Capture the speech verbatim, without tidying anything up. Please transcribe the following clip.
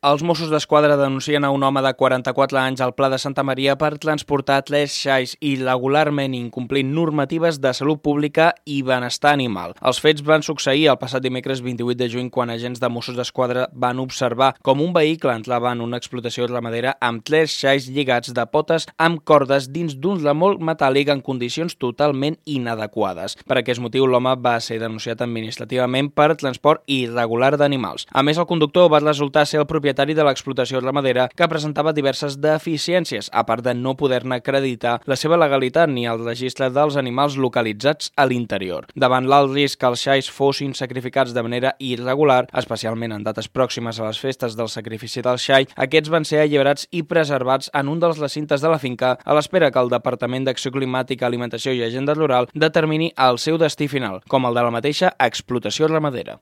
Els Mossos d'Esquadra denuncien a un home de quaranta-quatre anys al Pla de Santa Maria per transportar tres xais irregularment incomplint normatives de salut pública i benestar animal. Els fets van succeir el passat dimecres vint-i-vuit de juny quan agents de Mossos d'Esquadra van observar com un vehicle entrava en una explotació ramadera amb tres xais lligats de potes amb cordes dins d'un remolc metàl·lic en condicions totalment inadequades. Per aquest motiu, l'home va ser denunciat administrativament per transport irregular d'animals. A més, el conductor va resultar ser el propietari de l'explotació ramadera que presentava diverses deficiències, a part de no poder-ne acreditar la seva legalitat ni el registre dels animals localitzats a l'interior. Davant l'alt risc que els xais fossin sacrificats de manera irregular, especialment en dates pròximes a les festes del sacrifici del xai, aquests van ser alliberats i preservats en un dels recintes de la finca a l'espera que el Departament d'Acció Climàtica, Alimentació i Agenda Rural determini el seu destí final, com el de la mateixa explotació ramadera.